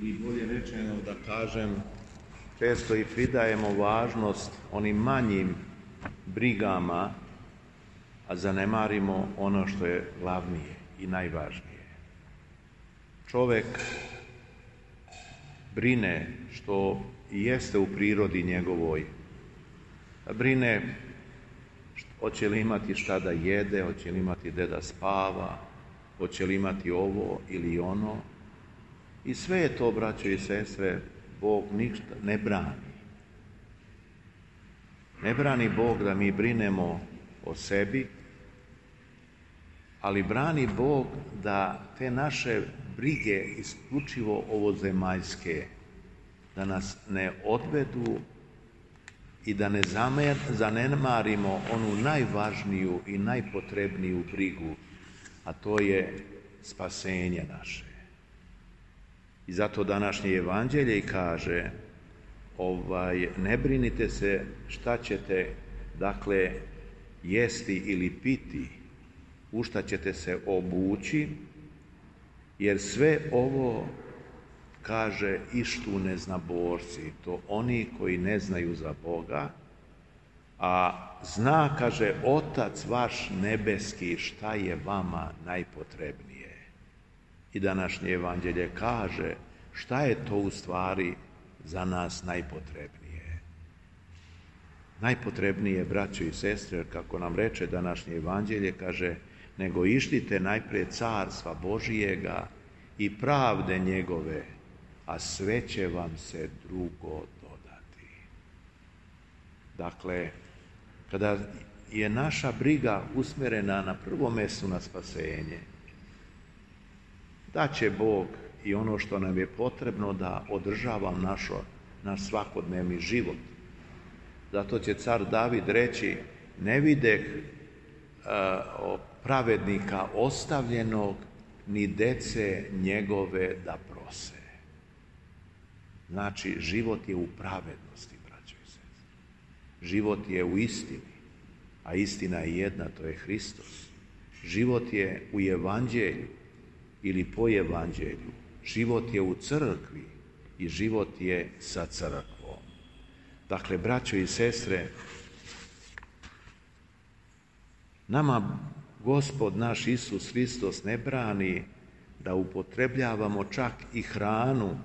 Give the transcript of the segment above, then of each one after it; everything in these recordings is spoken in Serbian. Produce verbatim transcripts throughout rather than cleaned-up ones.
ili bolje rečeno da kažem, često i pridajemo važnost onim manjim brigama, a zanemarimo ono što je glavnije i najvažnije. Čovjek brine, što i jeste u prirodi njegovoj, brine hoće li imati šta da jede, hoće li imati gde da spava, hoće li imati ovo ili ono. I sve je to, braćo i sestre, Bog ništa ne brani. Ne brani Bog da mi brinemo o sebi, ali brani Bog da te naše brige isključivo ovozemaljske, da nas ne odvedu i da ne zanemarimo onu najvažniju i najpotrebniju brigu, a to je spasenje naše. I zato današnje evanđelje kaže, ovaj, ne brinite se šta ćete, dakle, jesti ili piti, u šta ćete se obući, jer sve ovo, kaže, ištu neznaborci, to oni koji ne znaju za Boga, a zna, kaže, Otac vaš nebeski šta je vama najpotrebnije. I današnje evanđelje kaže šta je to u stvari za nas najpotrebnije. Najpotrebnije, braćo i sestre, kako nam reče današnje evanđelje, kaže, nego ištite najprije carstva Božijega i pravde njegove, a sve će vam se drugo dodati. Dakle, kada je naša briga usmjerena na prvom mjestu na spasenje, da će Bog i ono što nam je potrebno da održava našo, naš svakodnevni život. Zato će car David reći, ne videh uh, pravednika ostavljenog, ni dece njegove da prose. Znači, život je u pravednosti, braćo i sestre. Život je u istini, a istina je jedna, to je Hristos. Život je u evanđelju ili po evanđelju. Život je u crkvi i život je sa crkvom. Dakle, braćo i sestre, nama Gospod naš Isus Hristos ne brani da upotrebljavamo čak i hranu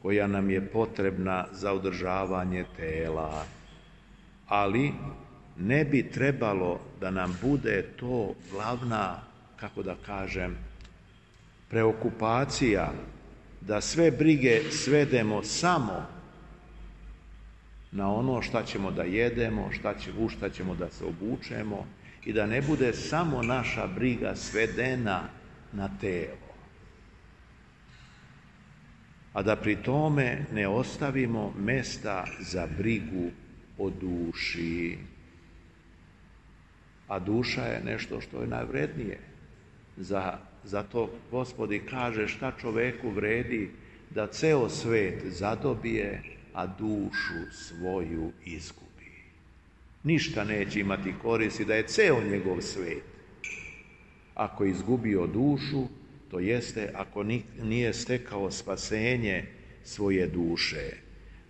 koja nam je potrebna za održavanje tela, ali ne bi trebalo da nam bude to glavna, kako da kažem, preokupacija, da sve brige svedemo samo na ono šta ćemo da jedemo, šta će, u šta ćemo da se obučemo, i da ne bude samo naša briga svedena na telo. A da pri tome ne ostavimo mesta za brigu o duši. A duša je nešto što je najvrednije. Za, zato Gospod kaže šta čoveku vredi da ceo svet zadobije, a dušu svoju izgubi. Ništa neće imati koristi da je ceo njegov svet. Ako je izgubio dušu, to jeste ako nije stekao spasenje svoje duše.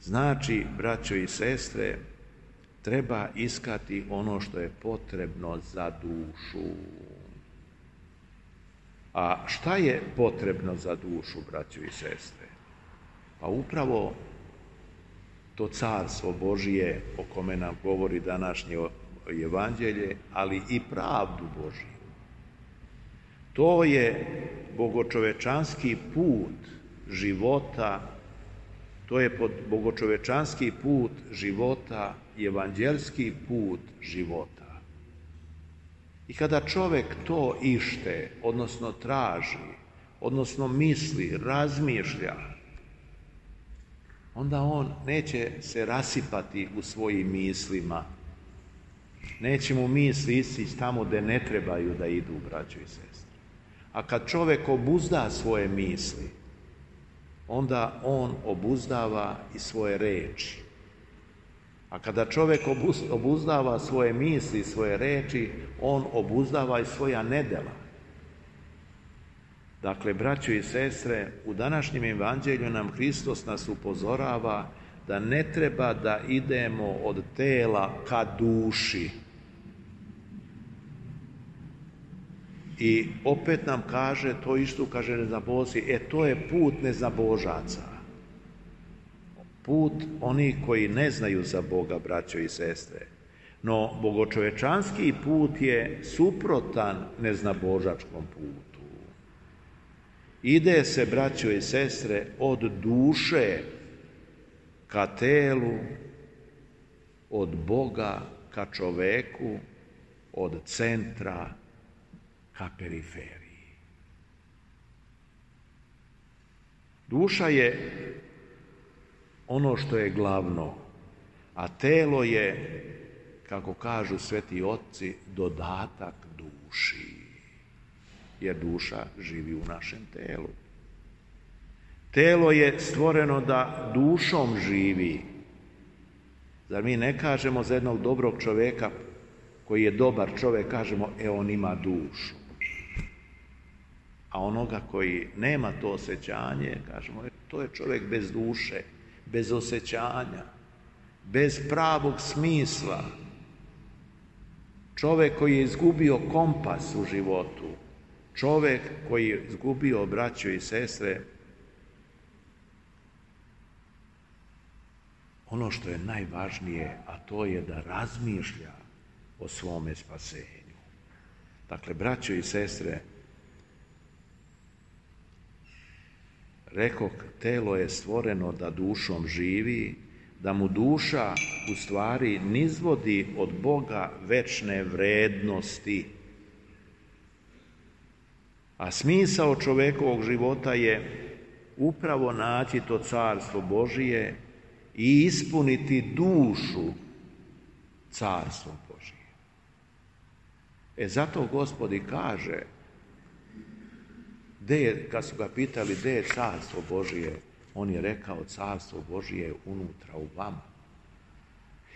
Znači, braćo i sestre, treba iskati ono što je potrebno za dušu. A šta je potrebno za dušu, braćo i sestre? Pa upravo to carstvo Božije o kome nam govori današnje evanđelje, ali i pravdu Božiju. To je bogočovečanski put života, to je bogočovečanski put života, evanđelski put života. I kada čovjek to ište, odnosno traži, odnosno misli, razmišlja, onda on neće se rasipati u svojim mislima. Neće mu misli ići tamo gdje ne trebaju da idu, braćo i sestre. A kad čovjek obuzda svoje misli, onda on obuzdava i svoje reči. A kada čovjek obuzdava svoje misli i svoje reči, on obuzdava i svoja nedjela. Dakle, braćo i sestre, u današnjem evanđelju nam Hristos nas upozorava da ne treba da idemo od tela ka duši. I opet nam kaže, to isto kaže neznabožci, e to je put neznabožaca. Put onih koji ne znaju za Boga, braćo i sestre. No, bogočovečanski put je suprotan neznabožačkom putu. Ide se, braćo i sestre, od duše ka telu, od Boga ka čoveku, od centra ka periferiji. Duša je ono što je glavno, a telo je, kako kažu sveti otci, dodatak duši, jer duša živi u našem telu. Telo je stvoreno da dušom živi. Zar mi ne kažemo za jednog dobrog čovjeka koji je dobar čovjek, kažemo, e on ima dušu. A onoga koji nema to osjećanje, kažemo, e, to je čovjek bez duše, bez osjećanja, bez pravog smisla. Čovjek koji je izgubio kompas u životu, čovjek koji je izgubio, braćo i sestre, ono što je najvažnije, a to je da razmišlja o svome spasenju. Dakle, braćo i sestre, rekoh, telo je stvoreno da dušom živi, da mu duša u stvari nizvodi od Boga večne vrednosti. A smisao čovjekovog života je upravo naći to carstvo Božije i ispuniti dušu carstvom Božije. E zato Gospod i kaže, gde je, kad su ga pitali gde je carstvo Božije, on je rekao, carstvo Božije je unutra u vama.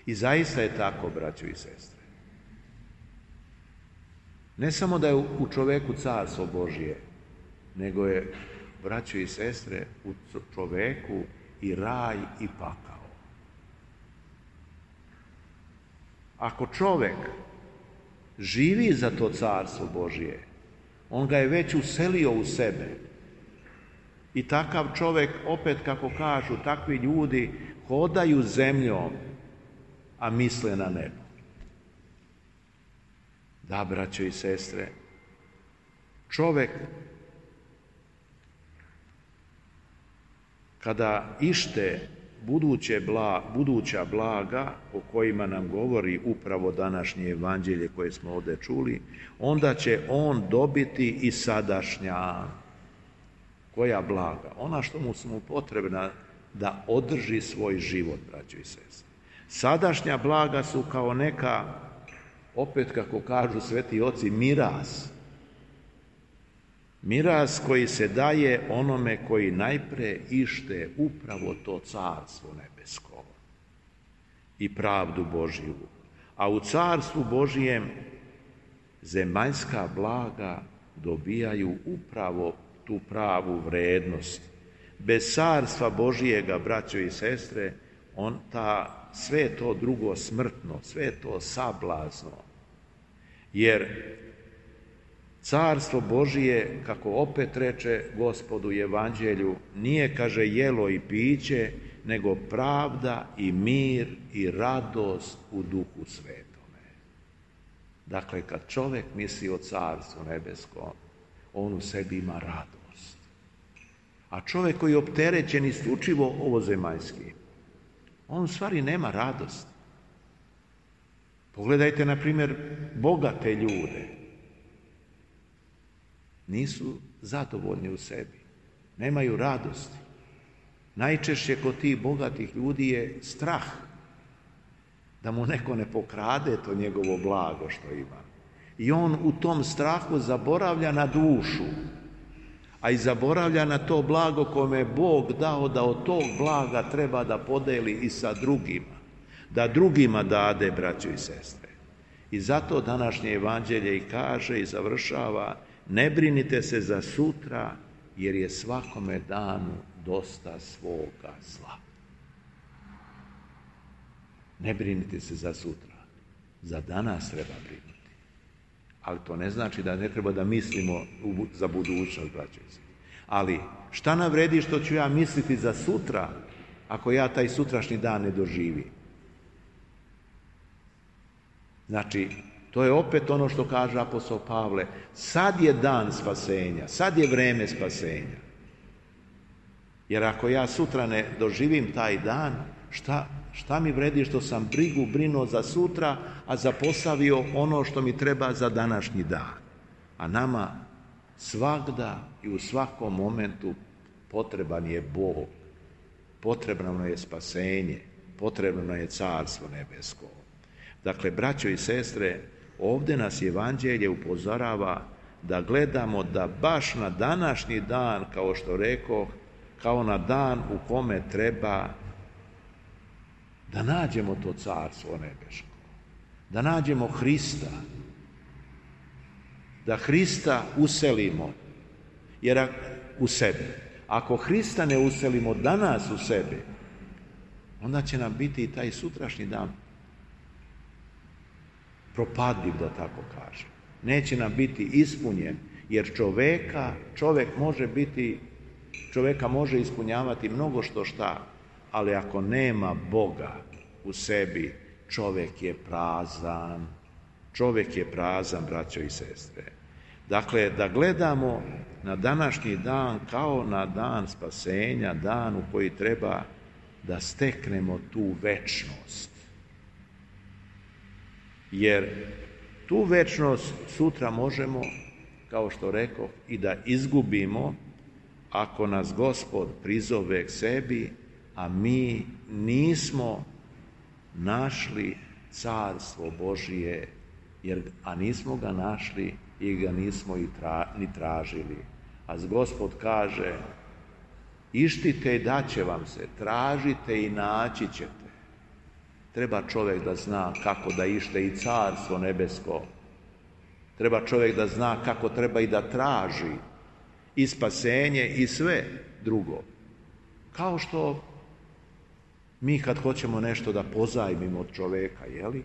I zaista je tako, braćo i sestre. Ne samo da je u čoveku carstvo Božije, nego je, braćo i sestre, u čoveku i raj i pakao. Ako čovek živi za to carstvo Božije, on ga je već uselio u sebe. I takav čovjek, opet kako kažu, takvi ljudi hodaju zemljom, a misle na nebo. Da, braćo i sestre, čovjek kada ište buduće bla, buduća blaga o kojima nam govori upravo današnje evanđelje koje smo ovdje čuli, onda će on dobiti i sadašnja. Koja blaga? Ona što mu su mu potrebna da održi svoj život, braćo i sestre. Sadašnja blaga su kao neka, opet kako kažu sveti oci, miraz. Miraz koji se daje onome koji najpre ište upravo to carstvo nebesko i pravdu Božju. A u carstvu Božijem zemaljska blaga dobijaju upravo tu pravu vrednost. Bez carstva Božijega, braćo i sestre, on ta, sve to drugo smrtno, sve to sablazno. Jer carstvo Božije, kako opet reče Gospod u evanđelju, nije, kaže, jelo i piće, nego pravda i mir i radost u Duhu Svetome. Dakle, kad čovjek misli o carstvu nebeskom, on u sebi ima radost. A čovjek koji je opterećen isključivo ovozemaljski, on u stvari nema radost. Pogledajte, na primjer, bogate ljude. Nisu zadovoljni u sebi, nemaju radosti. Najčešće kod tih bogatih ljudi je strah da mu neko ne pokrade to njegovo blago što ima. I on u tom strahu zaboravlja na dušu, a i zaboravlja na to blago kome je Bog dao da od tog blaga treba da podeli i sa drugima, da drugima dade, braćo i sestre. I zato današnje evanđelje i kaže i završava, ne brinite se za sutra, jer je svakome danu dosta svoga zla. Ne brinite se za sutra, za danas treba brinuti. Ali to ne znači da ne treba da mislimo za budućnost, braćo i sestre. Ali šta nam vredi što ću ja misliti za sutra, ako ja taj sutrašnji dan ne doživim? Znači, to je opet ono što kaže apostol Pavle, sad je dan spasenja, sad je vreme spasenja. Jer ako ja sutra ne doživim taj dan, šta, šta mi vredi što sam brigu brinuo za sutra, a zapostavio ono što mi treba za današnji dan. A nama svagda i u svakom momentu potreban je Bog, potrebno je spasenje, potrebno je carstvo nebesko. Dakle, braćo i sestre, ovdje nas Evanđelje upozorava da gledamo da baš na današnji dan, kao što rekoh, kao na dan u kome treba da nađemo to carstvo nebeško, da nađemo Hrista, da Hrista uselimo jer u sebe. Ako Hrista ne uselimo danas u sebe, onda će nam biti i taj sutrašnji dan propadljiv, da tako kažem. Neće nam biti ispunjen, jer čoveka, čovjek može biti, čovjeka može ispunjavati mnogo što šta, ali ako nema Boga u sebi, čovjek je prazan. Čovjek je prazan, braćo i sestre. Dakle, da gledamo na današnji dan kao na dan spasenja, dan u koji treba da steknemo tu večnost. Jer tu večnost sutra možemo, kao što rekoh, i da izgubimo ako nas Gospod prizove k sebi, a mi nismo našli carstvo Božije, jer, a nismo ga našli i ga nismo i tra, ni tražili. A Gospod kaže, ištite i daće vam se, tražite i naći ćete. Treba čovjek da zna kako da ište i carstvo nebesko. Treba čovjek da zna kako treba i da traži i spasenje i sve drugo. Kao što mi kad hoćemo nešto da pozajmimo od čovjeka, jeli?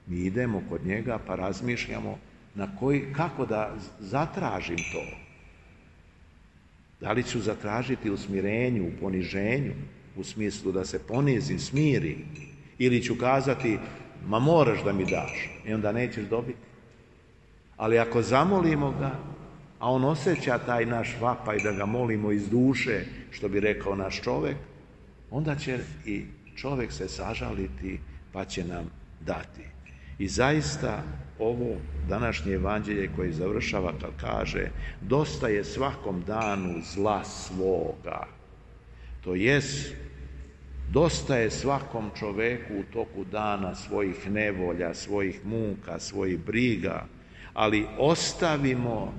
Mi idemo kod njega pa razmišljamo na koji, kako da zatražim to. Da li ću zatražiti u smirenju, u poniženju, u smislu da se ponizim, smiri, ili ću kazati, ma moraš da mi daš, i onda nećeš dobiti. Ali ako zamolimo ga, a on osjeća taj naš vapaj da ga molimo iz duše, što bi rekao naš čovjek, onda će i čovjek se sažaliti pa će nam dati. I zaista ovo današnje evanđelje koje završava kad kaže dosta je svakom danu zla svoga. To jest, dosta je svakom čoveku u toku dana svojih nevolja, svojih muka, svojih briga, ali ostavimo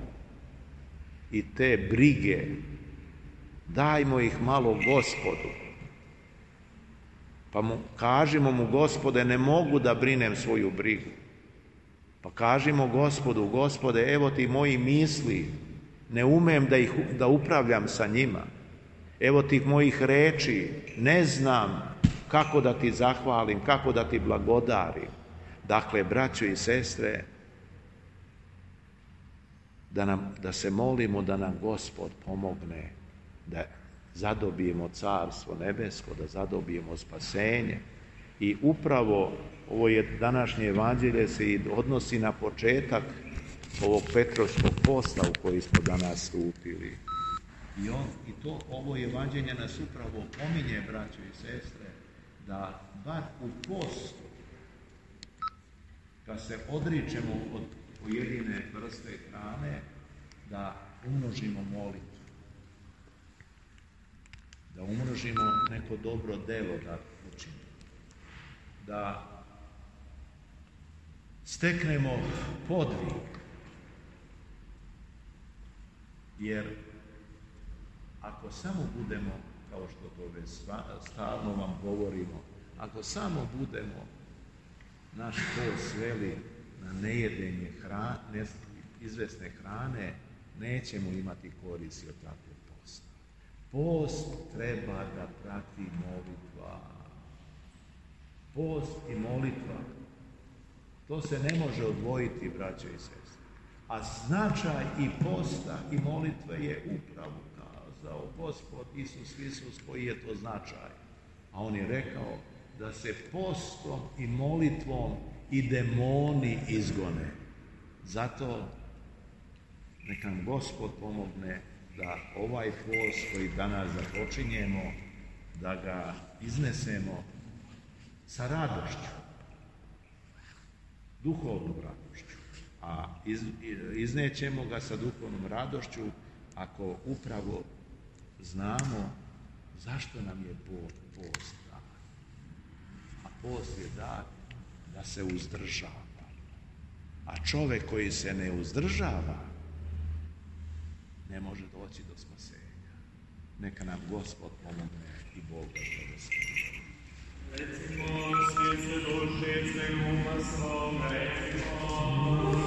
i te brige, dajmo ih malo Gospodu. Pa mu, kažimo mu, Gospode, ne mogu da brinem svoju brigu. Pa kažimo Gospodu, Gospode, evo ti moji misli, ne umem da, ih, da upravljam sa njima. Evo tih mojih reči, ne znam kako da ti zahvalim, kako da ti blagodarim. Dakle, braćo i sestre, da, nam, da se molimo da nam Gospod pomogne, da zadobijemo carstvo nebesko, da zadobijemo spasenje. I upravo ovo je današnje evanđelje se i odnosi na početak ovog Petrovskog posta u koji smo danas stupili. I, on, i to ovo evanđelje nas upravo pominje, braćo i sestre, da bar u postu, kad se odričemo od pojedine vrste hrane, da umnožimo molitvu. Da umnožimo neko dobro delo da učinimo. Da steknemo podvig. Jer ako samo budemo, kao što to već stalno vam govorimo, ako samo budemo naš post sveli na nejedenje hrane, izvesne hrane, nećemo imati koristi od takvog posta. Post treba da prati molitva. Post i molitva, to se ne može odvojiti, braće i sestre. A značaj i posta i molitve je upravo kazao Gospod Isus Hristos koji je to značaj. A on je rekao da se postom i molitvom i demoni izgone. Zato neka nam Gospod pomogne da ovaj post koji danas započinjemo, da ga iznesemo sa radošću, duhovnom radošću. A iz, iznećemo ga sa duhovnom radošću ako upravo znamo zašto nam je Bog post dan. A post je dan da se uzdržava. A čovjek koji se ne uzdržava ne može doći do spasenja. Neka nam Gospod pomogne i Bog da blagoslови. Recimo, svijet se duši, sve uma svom, recimo.